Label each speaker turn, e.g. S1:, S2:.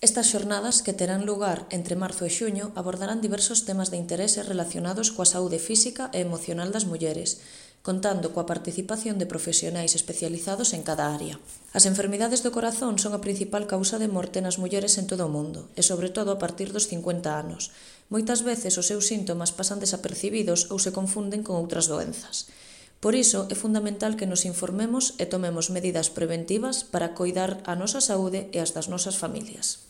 S1: Estas xornadas, que terán lugar entre marzo e xuño, abordarán diversos temas de interese relacionados coa saúde física e emocional das mulleres, contando coa participación de profesionais especializados en cada área. As enfermidades do corazón son a principal causa de morte nas mulleres en todo o mundo, e sobre todo a partir dos 50 anos. Moitas veces os seus síntomas pasan desapercibidos ou se confunden con outras doenzas. Por iso, é fundamental que nos informemos e tomemos medidas preventivas para coidar a nosa saúde e as das nosas familias.